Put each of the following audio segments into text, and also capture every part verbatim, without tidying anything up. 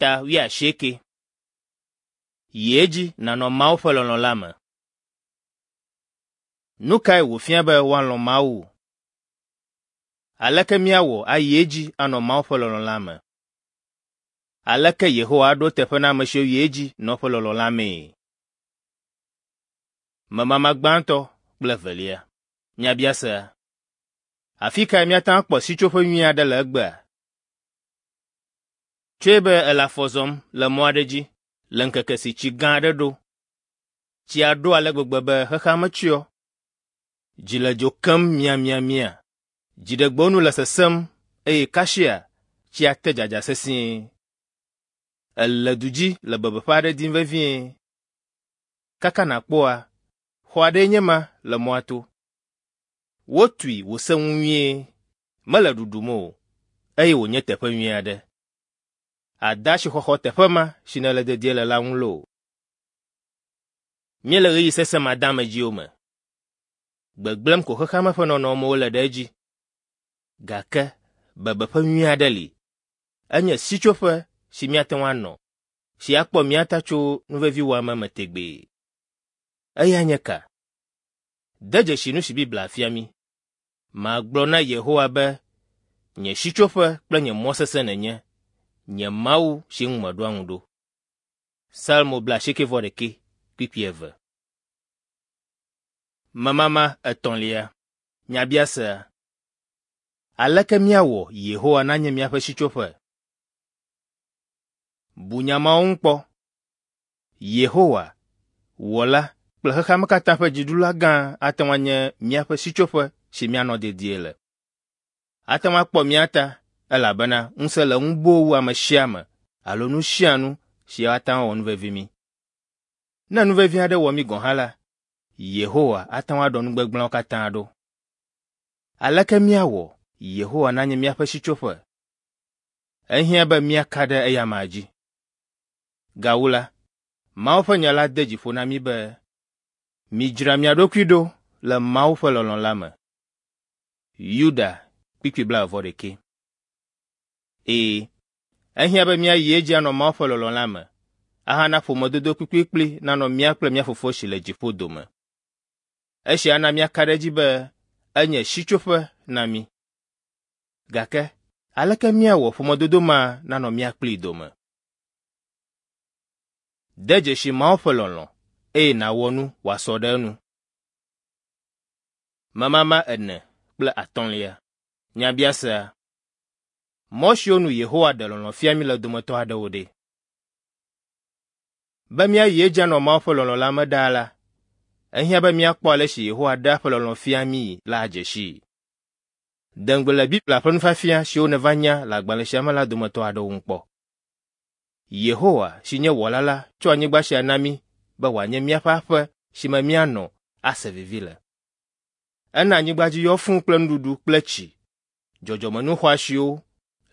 Ta wuiasieke. Yi edzi nànɔ Mawu ƒe lɔlɔ̃ la me. Nu kae wòfia be woalɔ̃ Mawu? Aleke míawɔ ayi edzi anɔ Mawu ƒe lɔlɔ̃ la me? Aleke Yehowa aɖo eteƒe na ame siwo yi edzi nɔ eƒe lɔlɔ̃ la mee? Memama gbãtɔ kple evelia. Nyabiasea. Afi kae míate ŋu akpɔ sitsoƒe nyui aɖe le egbea? Tsɔe be èle afɔ zɔm le mɔ aɖe dzi le ŋkeke si tsi gã aɖe ɖo. Tsia ɖo ale gbegbe be xexea me tsyɔ. Dzi le dzo kem miamiamia. Dziɖegbewo nu le sesẽm eye kasia tsia te dzadza sesĩe. Èle du dzi le bebeƒe aɖe dim vevie. Kaka nàkpɔa, xɔ aɖee nye ma le mɔa to. Wotui wòse ŋu nyuie, mele ɖuɖum o, eye wònye teƒe nyui aɖe. Àde asixɔxɔ teƒe ma si nèle dedie le la ŋu loo. Míele ɣeyiɣi sesẽ madeamedziwo me. Gbegblẽm ko xexea me ƒe nɔnɔmewo le ɖe edzi. Gake bebeƒe nyui aɖe li. Enye sitsoƒe si míate ŋu anɔ, si akpɔ mía ta tso nuveviwɔame me tegbee. Eya nye ka? De dzesi nu si Biblia fia mí. Magblɔ na Yehowa be, nye sitsoƒe kple nye mɔ sesẽ nènye, nye Mawu si ŋu meɖoa ŋu ɖo. Salmo blaasiekɛ-vɔ-ɖekɛ kpukpui eve. Memama etɔ̃lia. Nyabiasea. Aleke míawɔ Yehowa nanye míaƒe sitsoƒe? Bu nya mawo ŋu kpɔ. Yehowa, Wɔla kple xexea me katã ƒe dziɖula gã ate ŋu anye míaƒe sitsoƒe si míanɔ dedie le. Ate ŋu akpɔ mía ta elabena ŋusẽ le eŋu boo wu ame sia ame alo nu sia nu si ate ŋu awɔ nuvevi mí. Ne nuvevi aɖe wɔ mí gɔ̃ hã la, Yehowa ate ŋu aɖɔ nu gbegblẽawo katã ɖo. Aleke míawɔ Yehowa nanye míaƒe sitsoƒe? Ehiã be míaka ɖe eya amea dzi. Gawu la, Mawu ƒe nya la de dzi ƒo na mí be, midzra mia ɖokui ɖo le Mawu ƒe lɔlɔ̃ la me. Yuda kpukpui blaeve-vɔ-ɖekɛ. Ee, ehiã be míayi edzi anɔ Mawu ƒe lɔlɔ̃ la me, ahana ƒomedodo kplikplikpli nanɔ mía kple mía Fofo si le dziƒo dome. Esia ana míaka ɖe edzi be enye sitsoƒe na mí. Gake aleke míawɔ ƒomedodo ma nanɔ mía kplii dome? De dzesi Mawu ƒe lɔlɔ̃ eye nàwɔ nu wòasɔ ɖe enu. Memama ene kple atɔ̃lia. Nyabiasea. Mɔ siwo nu Yehowa ɖe lɔlɔ̃ fia mí le dometɔ aɖewo ɖe? Be míayi edzi anɔ Mawu ƒe lɔlɔ̃ la me ɖaa la, ehiã be míakpɔ ale si Yehowa ɖea eƒe lɔlɔ̃ fia míi la adze sii. De ŋugble le Biblia ƒe nufiafia siwo nèva nya le agbalẽ sia me la dometɔ aɖewo ŋu kpɔ. Yehowa si nye Wɔla la tsɔ anyigba sia na mí be wòanye míaƒe aƒe si me míanɔ ase vivi le. Ena anyigba dzi yɔ fũu kple nuɖuɖu kple tsi, dzɔdzɔmenu xɔasiwo,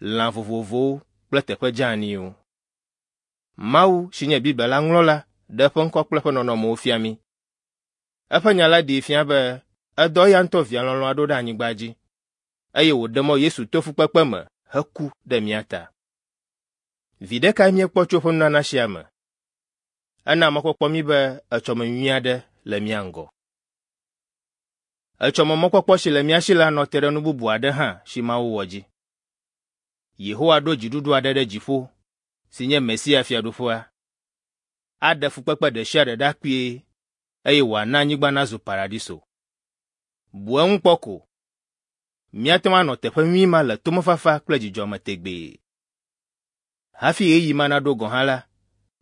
lã vovovowo kple teƒe dzeaniwo. Mawu si nye Biblia la ŋlɔla ɖe eƒe ŋkɔ kple eƒe nɔnɔmewo fia mí. Eƒe nya la ɖee fia be edɔ eya ŋutɔ via lɔlɔ̃a ɖo ɖe anyigba dzi, eye wòɖe mɔ Yesu to fukpekpe me heku ɖe mía ta. Viɖe kae míekpɔ tso eƒe nunana sia me? Ena mɔkpɔkpɔ mí be etsɔme nyui aɖe le mía ŋgɔ. Etsɔme mɔkpɔkpɔ si le mía si la nɔ te ɖe nu bubu aɖe hã si Mawu wɔ dzi. Yehowa ɖo dziɖuɖu aɖe ɖe dziƒo si nye Mesia Fiaɖuƒea. Aɖe fukpekpe ɖe sia ɖe ɖa kpuie eye wòana anyigba nazu paradiso. Bu eŋu kpɔ ko. Míate ŋu anɔ teƒe nyui ma le tomefafa kple dzidzɔ me tegbee. Hafi ɣeyiɣi ma naɖo gɔ̃ hã la,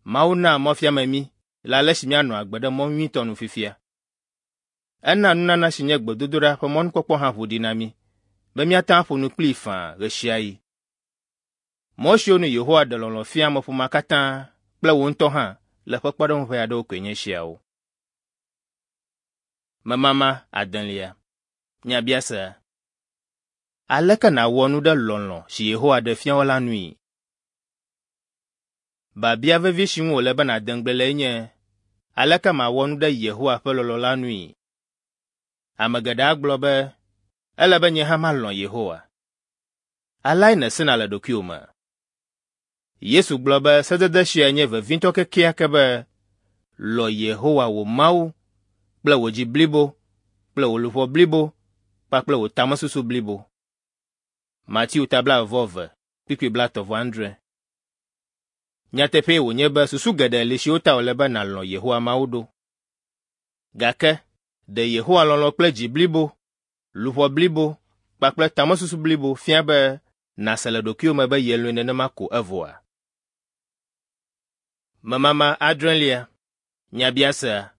Mawu naa mɔfiame mí le ale si míanɔ agbe ɖe mɔ nyuitɔ nu fifia. Ena nunana si nye gbedodoɖa ƒe mɔnukpɔkpɔ hã ʋu ɖi na mí be míate ŋu aƒo nu kplii faa ɣe sia ɣi. Mɔ siwo nu Yehowa ɖe lɔlɔ̃ fia ameƒomea katã kple wò ŋutɔ hã le ƒe kpɔɖeŋu ʋɛ aɖewo koe nye esiawo. Memama adelia. Nyabiasea. Aleke nàwɔ nu ɖe lɔlɔ̃ si Yehowa ɖe fia wò la nui? Biabia vevi si ŋu wòle be nàde ŋugble lee nye, aleke mawɔ nu ɖe Yehowa ƒe lɔlɔ̃ la nui? Ame geɖe agblɔ be, ele be nye hã malɔ̃ Yehowa. Aleae nèsena le ɖokuiwò me? Yesu gblɔ be sedede sia nye vevitɔ kekeake be, lɔ̃ Yehowa wò Mawu kple wò dzi blibo kple wò luʋɔ blibo kpakple wò tamesusu blibo. Mateo ta blaeve vɔ eve, kpukpui blaetɔ̃ vɔ adre. Nyateƒee wònye be susu geɖe li siwo ta wòle be nàlɔ̃ Yehowa Mawu ɖo. Gake ɖe Yehowa lɔlɔ̃ kple dzi blibo, luʋɔ blibo kpakple tamesusu blibo fia be nàse le ɖokuiwò me be yelɔ̃e nenema ko evɔa? Memama adrelia. Nyabiasea.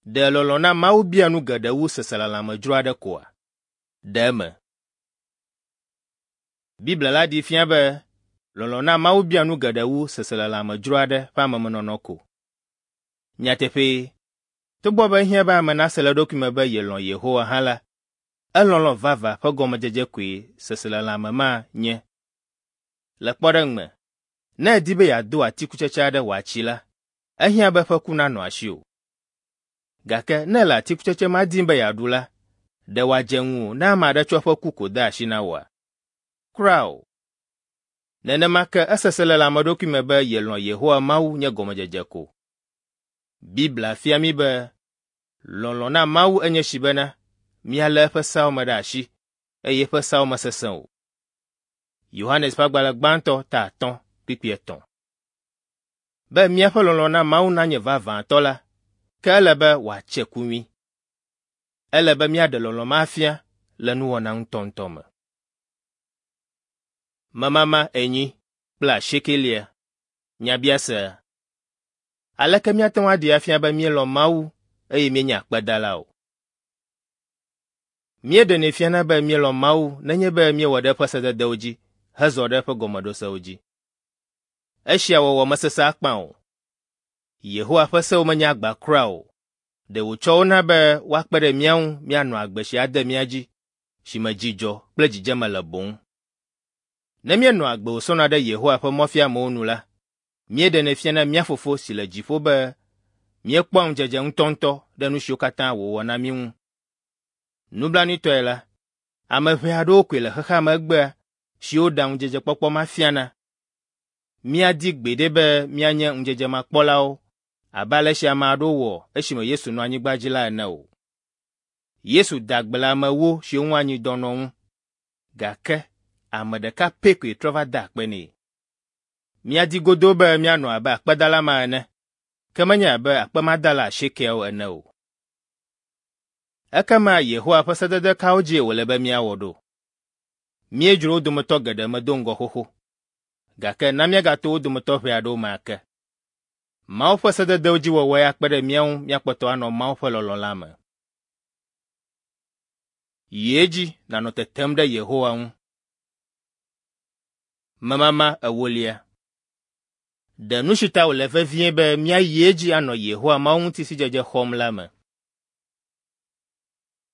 Ɖe lɔlɔ̃ na Mawu bia nu geɖe wu seselelãme dzro aɖe koa? Ɖe eme. Biblia la ɖee fia be lɔlɔ̃ na Mawu bia nu geɖe wu seselelãme dzro aɖe ƒe amemenɔnɔ ko. Nyateƒee, togbɔ be ehiã be ame nase le eɖokui me be yelɔ̃ Yehowa hã la, elɔlɔ̃ vavã ƒe gɔmedzedze koe seselelãme ma nye. Le kpɔɖeŋu me, ne èdi be yeado atikutsetse aɖe wòatsi la, ehiã be eƒe ku nanɔ asiwò. Gake ne èle atikutsetse ma dim be yeaɖu la, ɖe wòadze ŋuwò ne ame aɖe tsɔ eƒe ku ko de asi na wòa? Kura o. Nenema ke esese le ame ɖokui me be yelɔ̃ Yehowa Mawu nye gɔmedzedze ko. Biblia fia mí be lɔlɔ̃ na Mawu enye si bena míalé eƒe seawo me ɖe asi eye eƒe seawo mesesẽ o. Yohanes ƒe agbalẽ gbãtɔ ta atɔ̃ kpukpui etɔ̃. Be míaƒe lɔlɔ̃ na Mawu nanye vavãtɔ la, ke ele be wòatse ku nyui. Ele be míaɖe lɔlɔ̃ ma afia le nuwɔna ŋutɔŋutɔ me. Memama enyi kple asiekelia. Nyabiasea. Aleke míate ŋu aɖee afia be míelɔ̃ Mawu eye míenye akpedala o? Míeɖenɛ fiana be míelɔ̃ Mawu nenye be míewɔ ɖe eƒe sededewo dzi hezɔ ɖe eƒe gɔmeɖosewo dzi. Esia wɔwɔ mesesẽ akpa o. Yehowa ƒe sewo menye agba kura o. Ɖe wòtsɔ wo na be woakpe ɖe mía ŋu míanɔ agbe si ade mía dzi, si me dzidzɔ kple dzidzeme le boŋ. Ne míenɔ agbe wòsɔna ɖe Yehowa ƒe mɔfiamewo nu la, míeɖenɛ fiana mía Fofo si le dziƒo be míekpɔa ŋudzedze ŋutɔŋutɔ ɖe nu siwo katã wòwɔ na mí ŋu. Nublanuitɔe la, ame ʋɛ aɖewo koe le xexea me egbea siwo ɖea ŋudzedzekpɔkpɔ ma fiana. Míadi gbeɖe be míanye ŋudzedzemakpɔlawo abe ale si ame aɖewo wɔ esime Yesu nɔ anyigba dzi la ene o. Yesu da gbe le ame ewo siwo ŋu anyidɔ nɔ ŋu, gake ame ɖeka pɛ koe trɔ va de akpe nɛ. Míadi godoo be míanɔ abe akpedala ma ene, ke menye abe akpemadala asiekeawo ene o. Ekema Yehowa ƒe sedede kawo dzie wòle be míawɔ ɖo? Míedzro wo dometɔ geɖe me do ŋgɔ xoxo, gake na míagato wo dometɔ ʋɛ aɖewo me ake. Mawu ƒe sededewo dzi wɔwɔe akpe ɖe mía ŋu míakpɔtɔ anɔ Mawu ƒe lɔlɔ̃ la me. Yi edzi nànɔ tetem ɖe Yehowa ŋu. Memama ewolia. Ɖe nu si ta wòle vevie be míayi edzi anɔ Yehowa Mawu ŋuti sidzedze xɔm la me.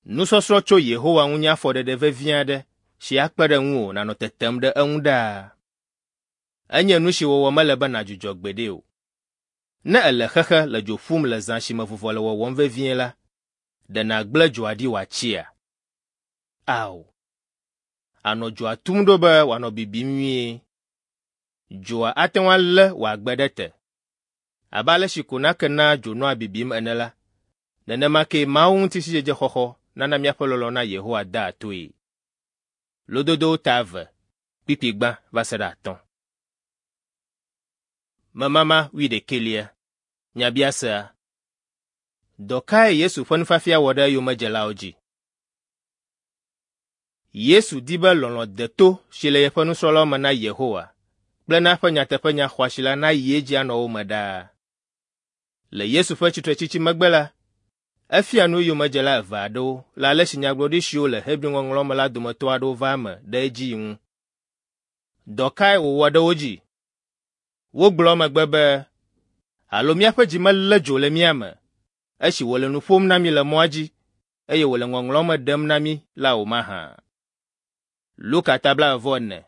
Nusɔsrɔ̃ tso Yehowa ŋu nye afɔɖeɖe vevi aɖe si akpe ɖe ŋuwò nànɔ tetem ɖe eŋu ɖaa. Enye nu si wɔwɔ mele be nàdzudzɔ gbeɖe o. Ne èle xexe le dzo ƒum le zã si me vuvɔ le wɔwɔm vevie la, ɖe nàgblẽ dzoa ɖi wòatsia? Ao. Ànɔ dzoa tum ɖo be wòanɔ bibim nyuie. Dzoa ate ŋu alé wò agbe ɖe te. Abe ale si ko nake naa dzo nɔa bibim ene la, nenema kee Mawu ŋuti sidzedze xɔxɔ nana míaƒe lɔlɔ̃ na Yehowa dea toe. Lododowo ta eve, kpukpui gbã va se ɖe atɔ̃. Memama wuiɖekɛlia. Nyabiasea. Dɔ kae Yesu ƒe nufiafia wɔ ɖe eyomedzelawo dzi? Yesu di be lɔlɔ̃ deto si le yeƒe nusrɔ̃lawo me na Yehowa kple na eƒe nyateƒenya xɔasi la nayi edzi anɔ wo me ɖaa. Le Yesu ƒe tsitretsitsi megbe la, efia nu eyomedzela eve aɖewo le ale si nyagblɔɖi siwo le Hebri ŋɔŋlɔawo me la dometɔ aɖewo va eme ɖe edzii ŋu. Dɔ kae wòwɔ ɖe wo dzi? Wogblɔ emegbe be, alo míaƒe dzi melé dzo le mía me esi wòle nu ƒom na mí le mɔa dzi eye wòle ŋɔŋlɔawo me ɖem na mí la o mahã? Luka ta blaeve vɔ ene,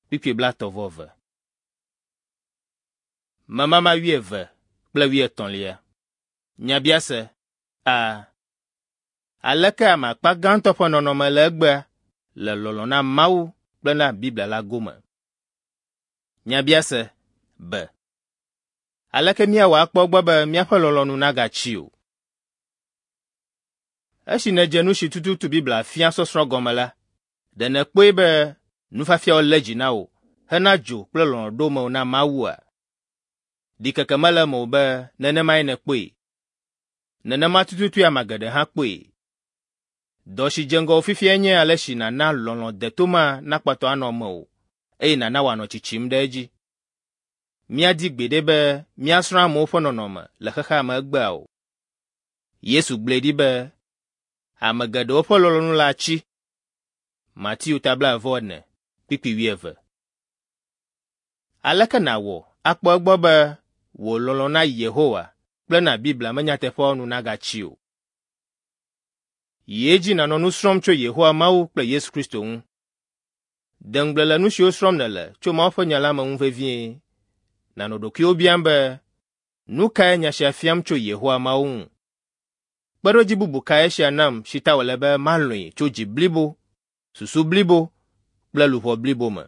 kpukpui blaetɔ̃ vɔ eve. Memama wuieve kple wuietɔ̃lia. Nyabiase A. Aleke ame akpa gãtɔ ƒe nɔnɔme le egbea le lɔlɔ̃ na Mawu kple na Biblia la gome? Nyabiase be: Aleke míawɔ akpɔ egbɔ be míaƒe lɔlɔ̃ nu nagatsi o? Esi nèdze nu si tututu Biblia fia sɔsrɔ̃ gɔme la, ɖe nèkpɔe be nufiafiawo lé dzi na wò hena dzo kple lɔlɔ̃ ɖo mewò na Mawua? Ɖikeke mele eme o be nenemae nèkpɔe. Nenema tututue ame geɖe hã kpɔe. Dɔ si dze ŋgɔwò fifiae nye ale si nàna lɔlɔ̃ deto ma nakpɔtɔ anɔ mewò eye nàna wòanɔ tsitsim ɖe edzi. Míadi gbeɖe be míasrɔ̃ amewo ƒe nɔnɔme le xexea me egbea o. Yesu gblɔe ɖi be ame geɖewo ƒe lɔlɔ̃nu la atsi. Mateo ta blaeve-vɔ-ene, kpukpui wuieve. Aleke nàwɔ akpɔ egbɔ be wò lɔlɔ̃ na Yehowa kple na Biblia me nyateƒeawo nu nagatsi o? Yi edzi nànɔ nu srɔ̃m tso Yehowa Mawu kple Yesu Kristo ŋu. De ŋugble le nu siwo srɔ̃m nèle tso Mawu ƒe nya la me ŋu vevie. Nànɔ ɖokuiwò biam be, nu kae nya sia fiam tso Yehowa Mawu ŋu? Kpeɖodzi bubu kae esia nam si ta wòle be malɔ̃e tso dzi blibo, susu blibo kple luʋɔ blibo me?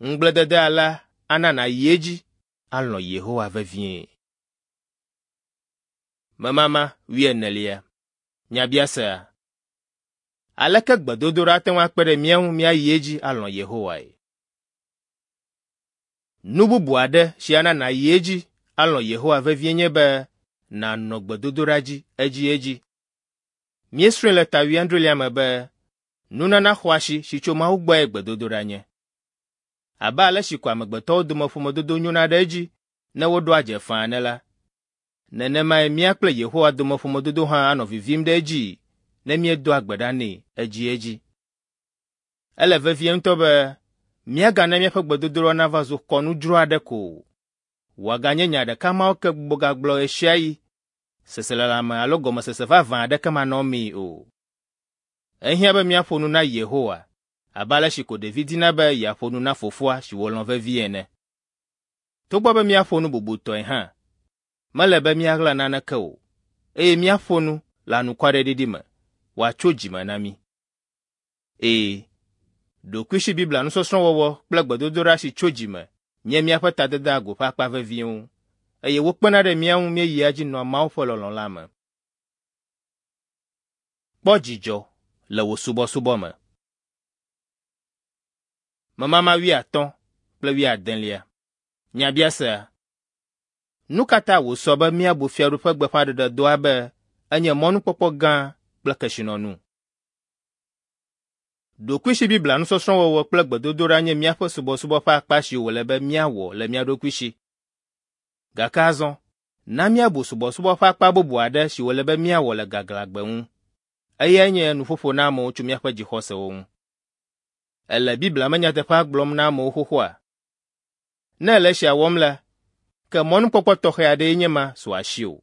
Ŋugbledede alea ana nàyi edzi alɔ̃ Yehowa vevie. Memama wuienelia. Nyabiasea: Aleke gbedodoɖa ate ŋu akpe ɖe mía ŋu míayi edzi alɔ̃ Yehowae? Nu bubu aɖe si ana nàyi edzi alɔ̃ Yehowa vevie nye be nànɔ gbedodoɖa dzi edziedzi. Míesrɔ̃e le ta wuiadrelia me be nunana xɔasi si tso Mawu gbɔe gbedodoɖa nye. Abe ale si ko amegbetɔwo dome ƒomedodo nyona ɖe edzi ne woɖoa dze faa ene la, nenemae mía kple Yehowa dome ƒomedodo hã anɔ vivim ɖe edzii ne míedoa gbe ɖa nɛ edziedzi. Ele vevie ŋutɔ be míagana míaƒe gbedodoɖa nava zu kɔnu dzro aɖe ko o. Wòaganye nya ɖeka mawo ke gbugbɔgagblɔ ɣesiaɣi, seselelãme alo gɔmesese vavã aɖeke manɔmee o. Ehiã be míaƒo nu na Yehowa abe ale si ko ɖevi dina be yeaƒo nu na fofoa si wòlɔ̃ vevie ene. Togbɔ be míaƒo nu bubutɔe hã, mele be míaɣla naneke o, eye míaƒo nu le anukwareɖiɖi me wòatso dzime na mí. Ee, ɖokuisi Biblia nusɔsrɔ̃ wɔwɔ kple gbedodoɖa si tso dzime nye míaƒe tadedeagu ƒe akpa veviwo, eye wokpena ɖe mía ŋu míeyia edzi nɔa Mawu ƒe lɔlɔ̃ la me. Kpɔ dzidzɔ le wò subɔsubɔ me. Memama wuiatɔ̃ kple wuiadelia. Nyabiasea: Nu ka ta wòsɔ be míabu Fiaɖuƒe gbeƒãɖeɖedɔa be enye mɔnukpɔkpɔ gã kple kesinɔnu? Ɖokuisi Biblia nusɔsrɔ̃ wɔwɔ kple gbedodoɖa nye míaƒe subɔsubɔ ƒe akpa si wòle be míawɔ le mía ɖokui si. Gake azɔ, na míabu subɔsubɔ ƒe akpa bubu aɖe si wòle be míawɔ le gaglãgbe ŋu. Eyae nye nuƒoƒo na amewo tso míaƒe dzixɔsewo ŋu. Èle Biblia me nyateƒea gblɔm na amewo xoxoa? Ne èle esia wɔm la, ke mɔnukpɔkpɔ tɔxɛ aɖee nye ma su asiwò.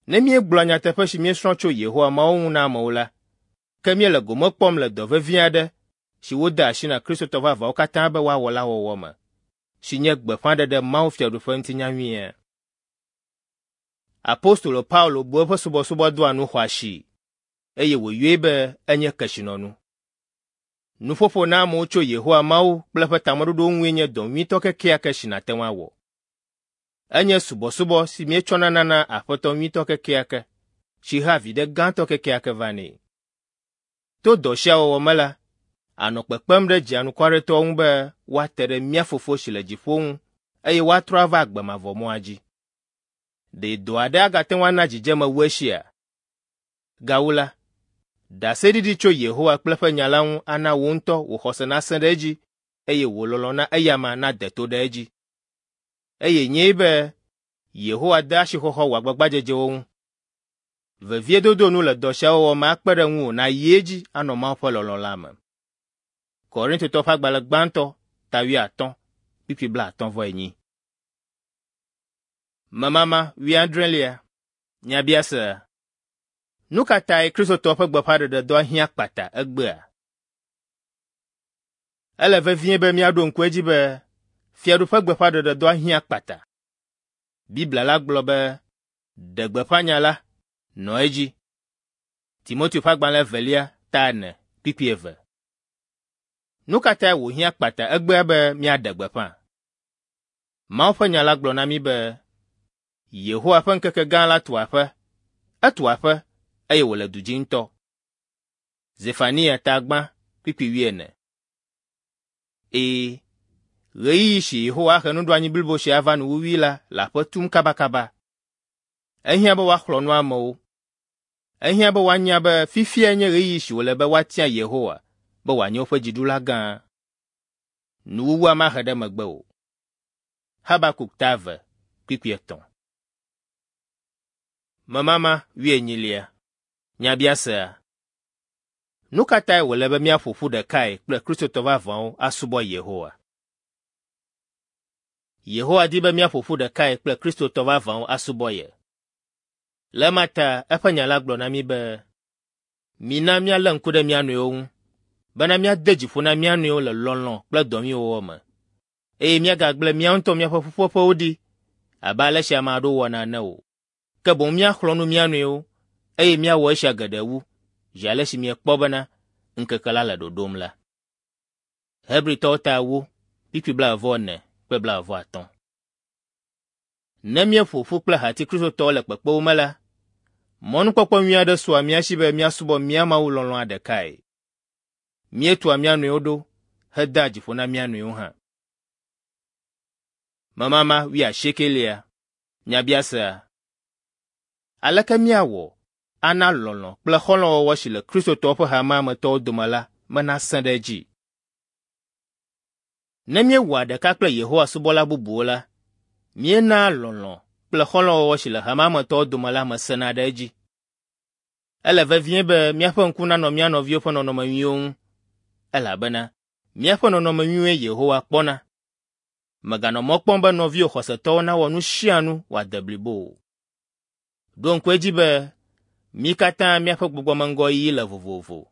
Ne míegblɔa nyateƒe si míesrɔ̃ tso Yehowa Mawu ŋu na amewo la, ke míele gome kpɔm le dɔ vevi aɖe si wode asi na Kristotɔ vavãwo katã be woawɔ la wɔwɔ me, si nye gbeƒãɖeɖe Mawu Fiaɖuƒe ŋuti nyanyuia. Apostolo Paulo bu eƒe subɔsubɔdɔa nu xɔasii, eye wòyɔe be enye kesinɔnu. Nuƒoƒo na amewo tso Yehowa Mawu kple eƒe tameɖoɖowo ŋue nye dɔ nyuitɔ kekeake si nàte ŋu awɔ. Enye subɔsubɔ si míetsɔna nana Aƒetɔ nyuitɔ kekeake, si hea viɖe gãtɔ kekeake vanɛ. To dɔ sia wɔwɔ me la, ànɔ kpekpem ɖe dzianukwaretɔwo ŋu be woate ɖe mía Fofo si le dziƒo ŋu eye woatrɔ ava agbe mavɔ mɔa dzi. Ɖe dɔ aɖe agate ŋu ana dzidzeme wu esia? Gawu la, ɖaseɖiɖi tso Yehowa kple eƒe nya la ŋu ana wò ŋutɔ wò xɔse nasẽ ɖe edzi eye wò lɔlɔ̃ na eyama nade to ɖe edzi. Eye nyee be Yehowa de asixɔxɔ wò agbagbadzedzewo ŋu. Veviedodo nu le dɔ sia wɔwɔ me akpe ɖe ŋuwò nàyi edzi anɔ Mawu ƒe lɔlɔ̃ la me. Korintotɔwo ƒe agbalẽ gbãtɔ ta wuiatɔ̃ kpukpui blaatɔ̃ vɔ enyi. Memama wuiadrelia. Nyabiasea: Nu ka tae Kristotɔwo ƒe gbeƒãɖeɖedɔa hiã kpata egbea? Ele vevie be míaɖo ŋku edzi be Fiaɖuƒe gbeƒãɖeɖedɔa hiã kpata. Biblia la gblɔ be, ɖe gbeƒã nya la, nɔ edzi. Timoteo ƒe agbalẽ evelia ta ene kpukpui eve. Nu ka tae wòhiã kpata egbea be míaɖe gbeƒã? Mawu ƒe nya la gblɔ na mí be, Yehowa ƒe ŋkeke gã la tu aƒe, etu aƒe, eye wòle du dzi ŋutɔ. Zefania ta gbã kpukpui wuiene. Ɛ̃, ɣeyiɣi si Yehowa ahe nuɖoanyi blibo sia ava nuwuwui la le aƒe tum kabakaba. Ehiã be woaxlɔ̃ nu amewo. Ehiã be woanya be fifiae nye ɣeyiɣi si wòle be woatia Yehowa be wòanye woƒe dziɖula gã. Nuwuwua mahe ɖe megbe o. Habakuk ta eve kpukpui etɔ̃. Memama wuienyilia. Nyabiasea. Nu ka tae wòle be míaƒo ƒu ɖekae kple Kristotɔ vavãwo asubɔ Yehowa? Yehowa di be míaƒo ƒu ɖekae kple Kristotɔ vavãwo asubɔ ye. Le ema ta eƒe nya la gblɔ na mí be, mina míalé ŋku ɖe mía nɔewo ŋu, bena míade dzi ƒo na mía nɔewo le lɔlɔ̃ kple dɔ nyui wɔwɔ me, eye míagagblẽ mía ŋutɔ míaƒe ƒuƒoƒewo ɖi abe ale si ame aɖewo wɔna ene o. Ke boŋ míaxlɔ̃ nu mía nɔewo, eye míawɔ esia geɖe wu, zi ale si miekpɔ bena ŋkeke la le ɖoɖom la. Hebritɔwo ta ewo, kpukpui blaeve-vɔ-ene kple blaeve-vɔ-atɔ̃. Ne míeƒo ƒu kple hati Kristotɔwo le kpekpewo me la, mɔnukpɔkpɔ nyui aɖe sua mía si be míasubɔ mía Mawu lɔlɔ̃a ɖekae. Míetua mía nɔewo ɖo hedea dzi ƒo na mía nɔewo hã. Memama wuiasiekelia. Nyabiasea. Aleke míawɔ ana lɔlɔ̃ kple xɔlɔ̃wɔwɔ si le Kristotɔwo ƒe hamea me tɔwo dome la me nasẽ ɖe edzi? Ne míewɔa ɖeka kple Yehowa subɔla bubuwo la, míenaa lɔlɔ̃ kple xɔlɔ̃wɔwɔ si le hamea me tɔwo dome la me sẽna ɖe edzi. Ele vevie be míaƒe ŋku nanɔ mía nɔviwo ƒe nɔnɔme nyuiwo ŋu, elabena míaƒe nɔnɔme nyuie Yehowa kpɔna. Mèganɔ mɔ kpɔm be nɔviwò xɔsetɔwo nawɔ nu sia nu wòade blibo o. Ɖo ŋku edzi be mí katã míaƒe gbɔgbɔmeŋgɔyiyi le vovovo,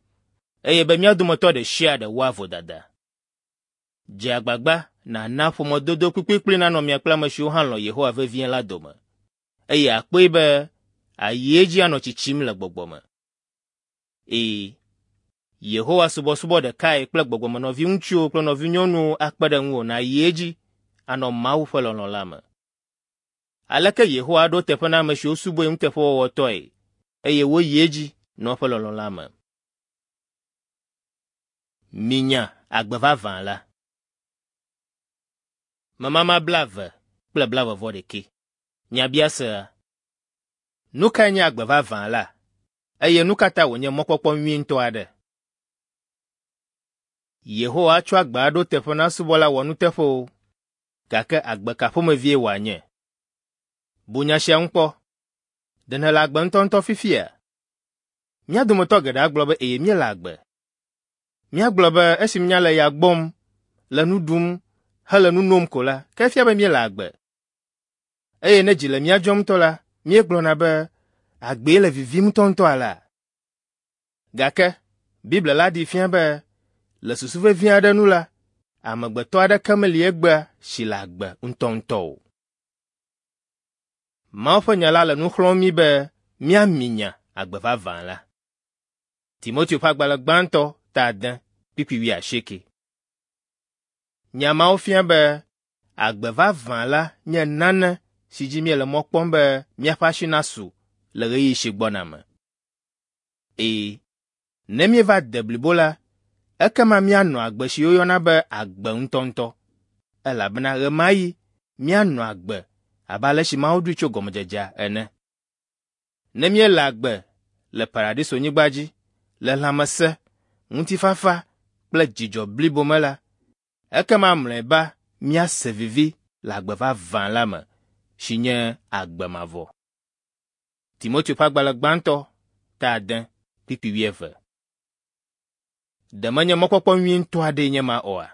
eye be mía dometɔ ɖe sia ɖe wɔa vodada. Dze agbagba nàna ƒomedodo kplikplikpli nanɔ mia kple ame siwo hã lɔ̃ Yehowa vevie la dome, eye àkpɔe be àyi edzi anɔ tsitsim le gbɔgbɔ me. Ɛ̃, Yehowa subɔsubɔ ɖekae kple gbɔgbɔmenɔviŋutsuwo kple nɔvinyɔnuwo akpe ɖe ŋuwò nàyi edzi anɔ Mawu ƒe lɔlɔ̃ la me. Aleke Yehowa aɖo eteƒe na ame siwo subɔe nuteƒewɔwɔtɔe eye woyi edzi nɔ eƒe lɔlɔ̃ la me? Minya agbe vavã la. Memama blaeve kple blaeve-vɔ-ɖekɛ. Nyabiasea. Nu kae nye agbe vavã la? Eye nu ka ta wònye mɔkpɔkpɔ nyui ŋutɔ aɖe? Yehowa atsɔ agbe aɖo teƒe na subɔla wɔnuteƒewo, gake agbe ka ƒomevie wòanye? Bu nya sia ŋu kpɔ. Ɖe nèle agbe ŋutɔŋutɔ fifia? Mía dometɔ geɖe agblɔ be ɛ̃ míele agbe. Míagblɔ be esi míale ya gbɔm, le nu ɖum, hele nu nom ko la, ke efia be míele agbe. Eye ne dzi le mía dzɔm ŋutɔ la, míegblɔna be agbee le vivim ŋutɔŋutɔ alea. Gake Biblia la ɖee fia be le susu vevi aɖe nu la, amegbetɔ aɖeke meli egbea si le agbe ŋutɔŋutɔ o. Mawu ƒe nya la le nu xlɔ̃m mí be míaminya agbe vavã la. Timoteo ƒe agbalẽ gbãtɔ ta ade kpukpui wuiasieke. Nya mawo fia be agbe vavã la nye nane si dzi míele mɔ kpɔm be míaƒe asi nasu le ɣeyiɣi si gbɔna me. Ɛ̃, ne míeva de blibo la, ekema míanɔ agbe si woyɔna be agbe ŋutɔŋutɔ, elabena ɣe ma ɣi míanɔ agbe abe ale si Mawu ɖoe tso gɔmedzedzea ene. Ne míele agbe le paradisonyigba dzi, le lãmesẽ, ŋutifafa kple dzidzɔ blibo me la, ekema mlɔeba míase vivi le agbe vavã la me, si nye agbe mavɔ. Timoteo ƒe agbalẽ gbãtɔ ta ade kpukpui wuieve. Ɖe menye mɔkpɔkpɔ nyui ŋutɔ aɖee nye ma oa?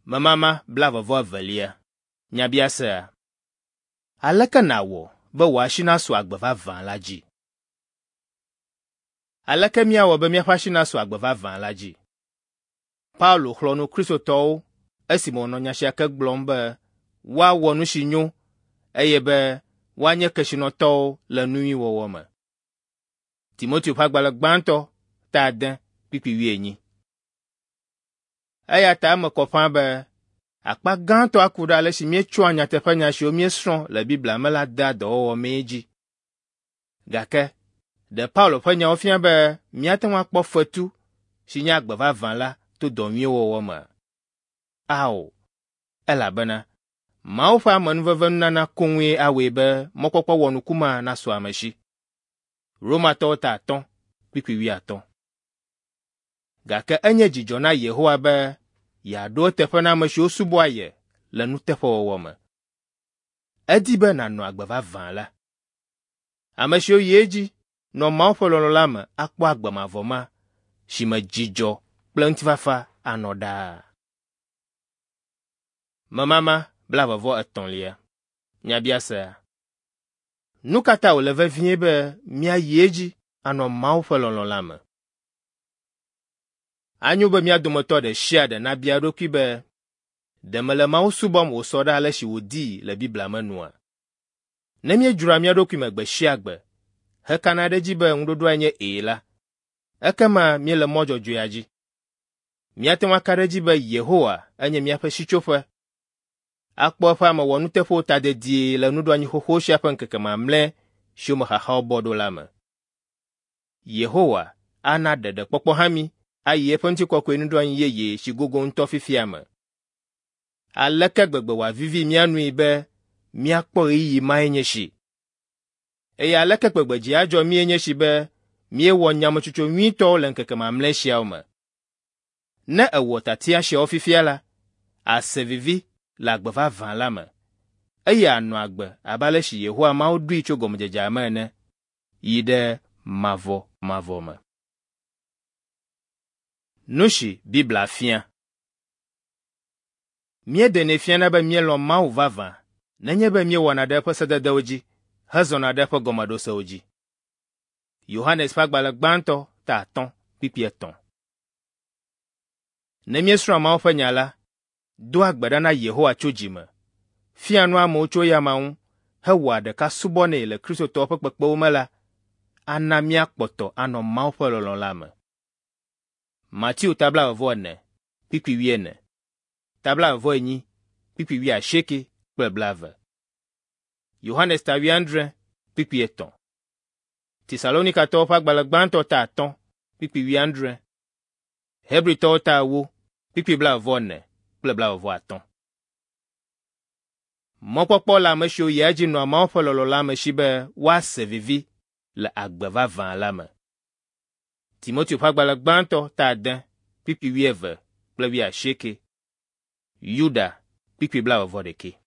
Memama blaeve-vɔ-evelia. Nyabiasea. Aleke nàwɔ be wò asi nasu agbe vavã la dzi? Aleke míawɔ be míaƒe asi nasu agbe vavã la dzi? Paulo xlɔ̃ nu Kristotɔwo esime wònɔ nya sia ke gblɔm be woawɔ nu si nyo eye be woanye kesinɔtɔwo le nu nyui wɔwɔ me. Timoteo ƒe agbalẽ gbãtɔ ta ade kpukpui wuienyi. Eya ta eme kɔ ƒãa be akpa gãtɔ aku ɖe ale si míetsɔa nyateƒenya siwo míesrɔ̃ le Biblia me la dea dɔwɔwɔ mee dzi. Gake ɖe Paulo ƒe nyawo fia be míate ŋu akpɔ fetu si nye agbe vavã la to dɔ nyuiwo wɔwɔ me? Ao, elabena Mawu ƒe amenuvevenunana koŋue awɔe be mɔkpɔkpɔ wɔnuku ma nasu ame si. Romatɔwo ta atɔ̃ kpukpui wuiatɔ̃. Gake enye dzidzɔ na Yehowa be yeaɖo eteƒe na ame siwo subɔa ye le nuteƒewɔwɔ me. Edi be nànɔ agbe vavã la. Ame siwo yi edzi nɔ Mawu ƒe lɔlɔ̃ la me akpɔ agbe mavɔ ma si me dzidzɔ kple ŋutifafa anɔ ɖaa. Memama blaeve-vɔ-etɔ̃lia. Nyabiasea. Nu ka ta wòle vevie be míayi edzi anɔ Mawu ƒe lɔlɔ̃ la me? Anyo be mía dometɔ ɖe sia ɖe nabia eɖokui be, ɖe mele Mawu subɔm wòsɔ ɖe ale si wòdii le Biblia me nua? Ne míedzroa mía ɖokui me gbe sia gbe hekana ɖe edzi be ŋuɖoɖoae nye ɛ̃ la, ekema míele mɔ dzɔdzɔea dzi. Míate ŋu aka ɖe edzi be Yehowa enye míaƒe sitsoƒe. Akpɔ eƒe ame wɔnuteƒewo ta dedie le nuɖoanyi xoxo sia ƒe ŋkeke mamlɛ siwo me xaxawo bɔ ɖo la me. Yehowa ana ɖeɖekpɔkpɔ hã mí ayi eƒe ŋutikɔkɔe nuɖoanyi yeye si gogo ŋutɔ fifia me. Aleke gbegbe wòavivi mía nui be míakpɔ ɣeyiɣi mae nye esi! Eye aleke gbegbe dzi adzɔ míe nye esi be míewɔ nyametsotso nyuitɔwo le ŋkeke mamlɛ siawo me. Ne èwɔ tiatia siawo fifia la, àse vivi le agbe vavã la me, eye ànɔ agbe abe ale si Yehowa Mawu ɖoe tso gɔmedzedzea me ene, yi ɖe mavɔmavɔ me. Nu si Biblia fia. Míeɖenɛ fiana be míelɔ̃ Mawu vavã nenye be míewɔna ɖe eƒe sededewo dzi hezɔna ɖe eƒe gɔmeɖosewo dzi. Yohanes ƒe agbalẽ gbãtɔ ta atɔ̃ kpukpui etɔ̃. Ne míesrɔ̃a Mawu ƒe nya la, doa gbe ɖa na Yehowa tso dzi me, fiaa nu amewo tso eyama ŋu hewɔa ɖeka subɔnɛ le Kristotɔwo ƒe kpekpewo me la, ana míakpɔtɔ anɔ Mawu ƒe lɔlɔ̃ la me. Mateo ta blaeve-vɔ-ene kpukpui wuiene, ta blaeve-vɔ-enyi kpukpui wuiasieke kple blaeve. Yohanes ta wuiadre kpukpui etɔ̃. Tesalonikatɔwo ƒe agbalẽ gbãtɔ ta atɔ̃ kpukpui wuiadre. Hebritɔwo ta ewo kpukpui blaeve-vɔ-ene kple blaeve-vɔ-atɔ̃. Mɔkpɔkpɔ le ame siwo yia edzi nɔa Mawu ƒe lɔlɔ̃ la me si be woase vivi le agbe vavã la me. Timoteo ƒe agbalẽ gbãtɔ ta ade kpukpui wuieve kple wuiasieke. Yuda kpukpui blaeve-vɔ-ɖekɛ.